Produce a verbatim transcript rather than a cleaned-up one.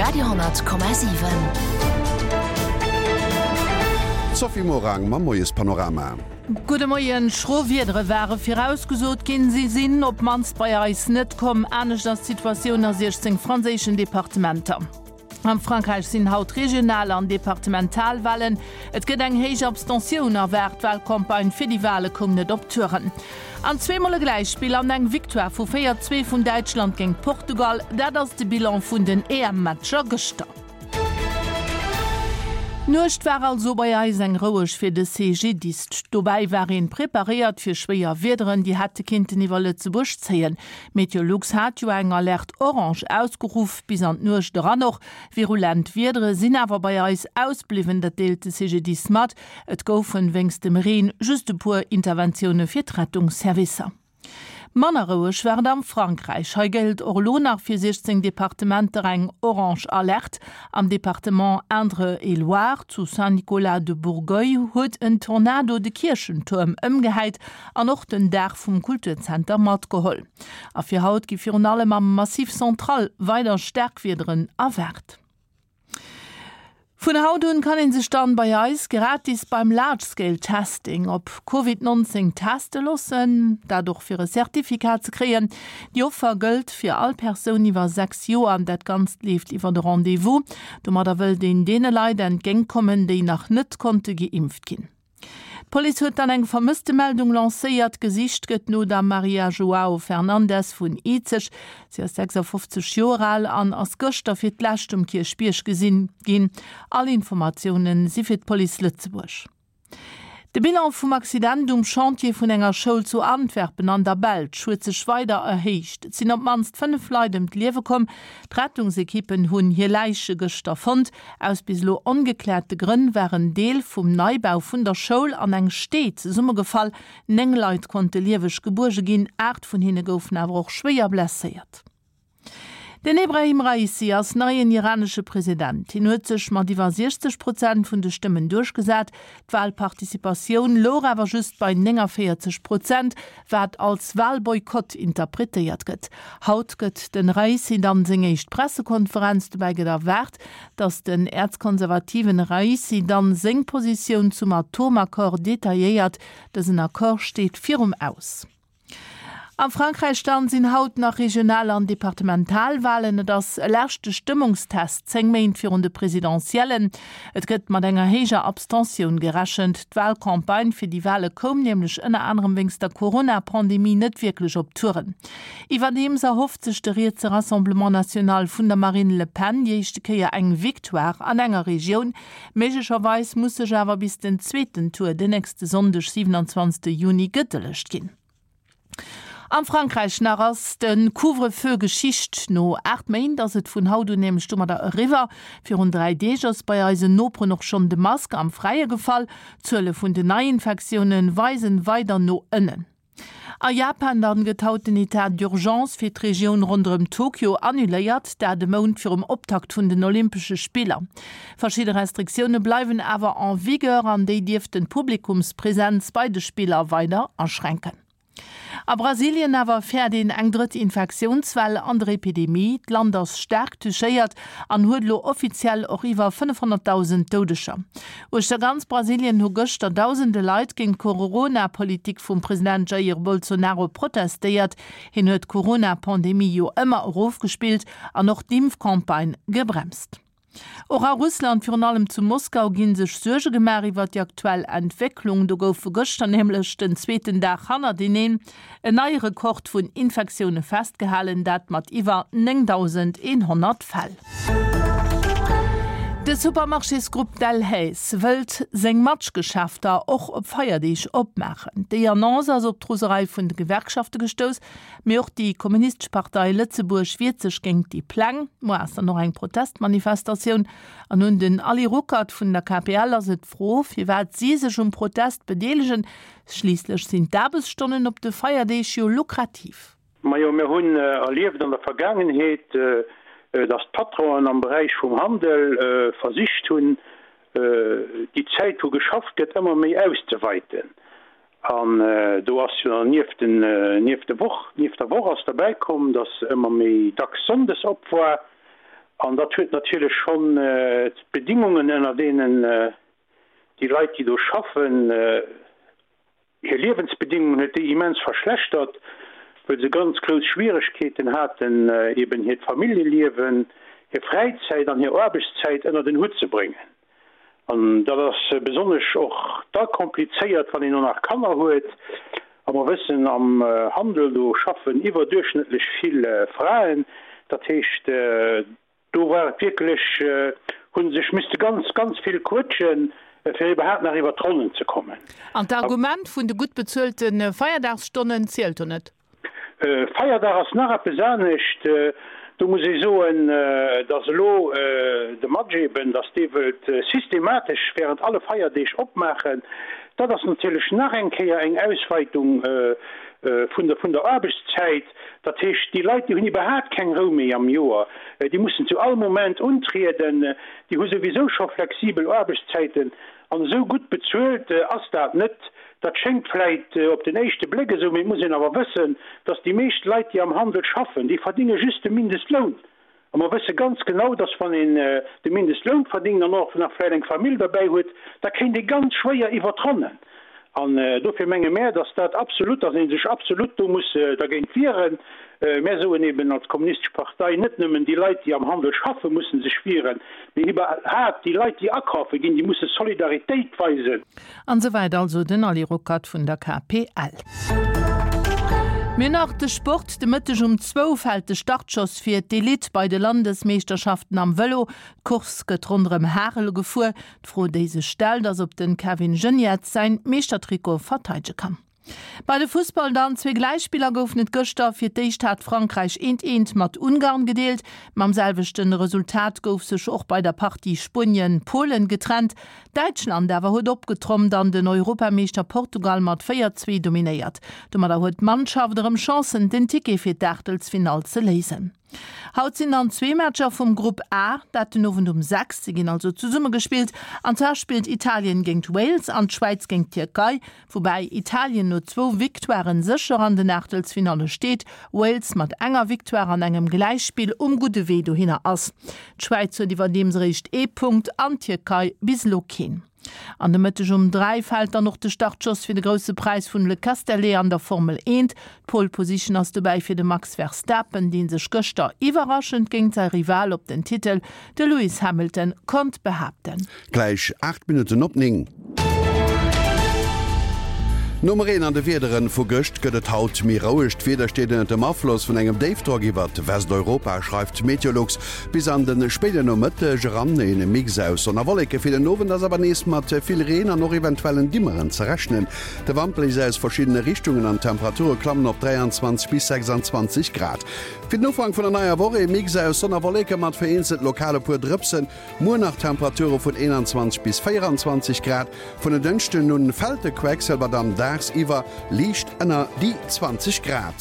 Radio honnert Komma siwen. D'Sophie Morang mam Moiespanorama. Gudde Moien. Schro Wiedere ware virausgesot ginn. Si sinn op d'mannst bei eis net komm. Anescht ass d'Situatioun a siechzéng franséischen Departementer. Am Frankräich sinn haut Regional an Departementalwalen. Et gëtt eng héich Abstentioun erwaart. D'Walcampagne fir déi Wale koum net op Touren. An zweemol e Gläichspill an eng Victoire vu véier, zwee vun Däitschland géint Portugal, dat ass de Bilan vun den E M-Matcher gëschter. D'Nuecht war also bei eis eng roueg fir de C G D I S. Dobäi war een preparéiert fir schwéier Wiederen, déi hätte kinnten iwwer Lëtzebuerg zéien. Meteolux hat jo eng Alerte orange ausgeruff, bis an d'Nuecht eran och. Virulent Wiedere sinn awer bei eis ausbliwwen, dat deelt de C G D I S mat. Et goufen wéinst dem Reen just e puer Interventioune fir d'Rettungsservicer. Manner roueg war et am Frankräich. Hei gëllt och elo nach fir siechzéng Departementer eng orange Alerte. Am Departement Indre-et-Loire zu Saint-Nicolas-de-Bourgueil huet en Tornado de Kierchentuerm ëmgehäit an och den Daach vum Kulturzenter matgeholl. A fir haut gi virun allem am Massif Central weider staark Wiederen erwaart. Vun haut un kann een sech dann bei eis gratis beim Large Scale Testing op Covid neunzéng teste loossen, dat och fir e Certificat ze kréien. Déi Offer gëllt fir all Persoun iwwer sechs Joer an dat Ganzt leeft iwwer de Rendez-vous. Domadder wëllt een deene Leit entgéintkommen, déi nach net konnte geimpft ginn. D'Police huet dann eng Vermësstemeldung lancéiert. Gesicht gëtt no der Maria Joao Fernandes vun Izeg. Si ass sechsafofzeg Joer al an ass gëschter fir d'lescht um Kierchbierg gesinn ginn. All Informatioune si fir d'Police Lëtzebuerg. De Bilan vum Accident um Chantier vun enger Schoul zu Antwerpen an der Belsch huet sech weider erhéicht. Et sinn op d'mannst fënnef Leit ëm d'Liewe komm. D'Rettungsekippen hunn hir Läiche gëschter fonnt. Aus bis elo ongekläerte Grënn war en Deel vum Neibau vun der Schoul an eng Stee zesummegefall. Néng Leit konnte lieweg gebuerge ginn, aacht vun hinne goufen awer och schwéier blesséiert. Den Ebrahim Raisi ass neien iranesche President. Hien huet sech mat iwwer siechzeg Prozent vun de Stëmmen duerchgesat. D'Walparticipatioun louch awer just bei néngavéierzeg Prozent, wat als Walboykott interpretéiert gëtt. Haut gëtt den Raisi dann seng éischt Pressekonferenz. Dobäi gëtt erwaart, datt den äerzkonservativen Raisi dann seng Positioun zum Atomaccord detailléiert. Dësen Accord steet virum Aus. Am Frankräich dann sinn haut nach Regional an Departementalwalen. Et ass e leschte Stëmmungstest zéng Méint virun de Presidentiellen. Et gëtt mat enger héijer Abstentioun gerechent. D'Walcampagne fir déi Wale koum nämlech ënner anerem wéinst der Corona-Pandemie net wierklech op Touren. Iwwerdeems erhofft sech de rietse Rassemblement National vun der Marine Le Pen déi éischte Kéier eng Victoire an enger Regioun. Méiglecherweis muss sech awer bis den zweeten Tour den nächste Sonndeg, siewenundzwanzegste Juni gedëllegt ginn. Am Frankräich nach ass de Couvre-feu Geschicht. No aacht Méint ass et vun haut un nämlech domadder eriwwer. Virun dräi Deeg ass bei eisen Noperen och schonn de Mask am Fräie gefall. D'Zuele vun den Neiinfektioune weisen weider no ënnen. A Japan dann gëtt haut den Etat d'urgence fir d'Regioun ronderëm Tokio annuléiert, dat e Mount virum Optakt vun den Olympesche Spiller. Verschidde Restriktioune bleiwen awer en vigueur an déi dierften d'Publikumspresenz bei de Spiller weider aschränken. A Brasilien awer fäert een eng drëtt Infektiounswell an der Epidemie. D'Land ass staark touchéiert an huet elo offiziell och iwwer fënnefhonnertdausend Doudeger. Uechter ganz Brasilien hu gëschter dausende Leit géint d'Corona-Politik vum President Jair Bolsonaro protestéiert. Hien huet d'Corona-Pandemie jo ëmmer erofgespillt an och d'Impfcampagne gebremst. Och a Russland, virun allem zu Moskau, gi sech Suerge gemaach iwwer déi aktuell Entwécklung. Do goufe gëschter nämlech den zweeten Dag hannerteneen en neie Rekord vun Infektioune festgehalen, dat mat iwwer néngdausendeenhonnert Fäll. De Supermarchésgrupp Delhaize wëllt seng Matchgeschäfter och op Feierdeeg opmaachen. Déi Annonce ass op d'Roserei vun de Gewerkschafte gestouss, mee och déi Kommunistesch Partei Lëtzebuerg wiert sech géint déi Pläng. Muer ass dann och eng Protestmanifestatioun. An un den Ali Ruckert vun der K P L ass et d'Fro, firwat si sech um Protest bedeelegen. Schliisslech sinn d'Aarbechtsstonnen op de Feierdeeg jo lukrativ. Majo, mir hunn erlieft an der Vergaangenheet, dass d'Patronen am Beräich vum Handel versicht hunn, déi Zäit wou geschafft gëtt, ëmmer méi auszeweiten. An do ass jo nieft den, nieft de Woch, nieft der Woch ass derbäikomm, dass ëmmer méi dacks sonndes op war. An dat huet natierlech schonn d'Bedingungen, ënner deenen déi Leit, déi do schaffen, hir Liewensbedingungen huet déi immens verschlechtert, well se ganz grouss Schwieregkeeten haten, eben hiert Familljeliewen, hir Fräizäit an hir Aarbechtszäit ënnert en Hutt ze bréngen. An dat ass besonnesch och da komplizéiert, wann een och nach Kanner huet. A mer wëssen, am Handel, do schaffen iwwerduerchschnëttlech vill Fraen. Dat heescht, do war et wierklech, hu sech misste ganz, ganz vill quëtschen, fir iwwerhaapt nach iwwert d'Ronnen ze kommen. An d'Argument vun de gutt bezuelte Feierdagsstonnen zielt do net? Feierdag ass nach eppes anescht. Do muss ee soen, datt elo de Match eben, datt dee wëllt systematesch während alle Feierdeeg opmaachen. Dat ass natierlech nach eng Kéier eng Ausweitung vun der vun der Aarbechtszäit. Dat heescht, déi Leit, déi hunn iwwerhaapt keng Rou méi am Joer. Déi mussen zu all Moment untrieden. Déi hu souwisou scho flexibel Aarbechtszäiten. An esou gutt bezuelt ass dat net. Dat schéngt vläit op den éischte Bléck esou, mee et muss een awer wëssen, dass déi meescht Leit, déi am Handel schaffen, déi verdinge just de Mindestloun. A mer wësse ganz genau, dass wann een de Mindestloun verdingt an och nach vläit eng Famill derbäi huet, da kéint ee ganz schwéier iwwer d'Ronnen. An dofir menge mär, dass dat absolut, dass ee sech absolut do muss dergéint wieren. Mär soen eben als Kommunistesch Partei, net nëmmen déi Leit, déi am Handel schaffen, musse sech wieren, mee iwwerhaapt déi Leit, déi akafe ginn, déi musse Solidaritéit weisen. An esou wäit also den Ali Ruckert vun der KPL. Mir nach de Sport, De Mëtteg um zwou fält de Startschoss fir d'Elite bei de Landesmeeschterschaften am Vëlo. D'Course gëtt ronderëm Harel gefuer. D'Fro déi sech stellt ass, ob den Kevin Geniets säin Meeschtertrikot verteidege kann. Bei de Fussball dann, Zwee Gläichspiller goufen et gëschter. Fir d'éischt hat Frankräich eent eent mat Ungarn gedeelt. Mam selwechte Resultat gouf sech och bei der Partie Spuenien, Polen getrennt. Däitschland awer huet opgetrommt an den Europameeschter Portugal mat véier, zwee dominéiert. Domadder huet d'Mannschaft erëm Chancen, den Ticket fir d'Aachtelsfinall ze léisen. Haut sinn dann zwee Matcher vum Grupp A, dat den Owend um sechs. Se ginn also zesumme gespillt. An zwar spillt Italien géint Wales an d'Schwäiz géint d'Tierkei, woubäi Italien no zwou Victoiren sécher an den Aachtelsfinalle steet, Wales mat enger Victoire an engem Gläichspill um gudde Wee dohinner ass. D'Schwäiz huet iwwerdeems eréischt ee Punkt an d'Tierkei bis elo keen. An de Mëtteg um dräi fält dann och de Startschoss fir de Grousse Präis vun Le Castellet an der Formel eent. D'Pole Position ass dobäi fir de Max Verstappen, dee sech gëschter iwwerraschend géint säi Rival op den Titel, de Lewis Hamilton, konnt behaapten. Gläich aacht Minutten op néng. Nom Reen an de Wiederen vu gëscht gëtt et haut méi roueg. D'Wieder steet ënnert dem Afloss vun engem Déifdrock iwwert Westeuropa, schreift Meteolux. Bis an de spéiden Nomëtteg eran een Mix aus Sonn a Wolleke. Fir den Owend ass awer nees mat vill Reen an och eventuellen Dimmeren ze rechnen. De Wand bléist aus verschiddene Richtungen an d'Temperature klammen op dräianzwanzeg bis sechsandzwanzeg Grad. Fir den Ufank vun der neier Woch ee Mix aus Sonn a Wolleke mat vereenzelt lokal e puer Drëpsen. Muer nach Temperature vun eenanzwanzeg bis véieranzwanzeg Grad. Vun en Dënschden un fält de Quecksëlwer dann dagsiwwer liicht ënner déi zwanzeg Grad.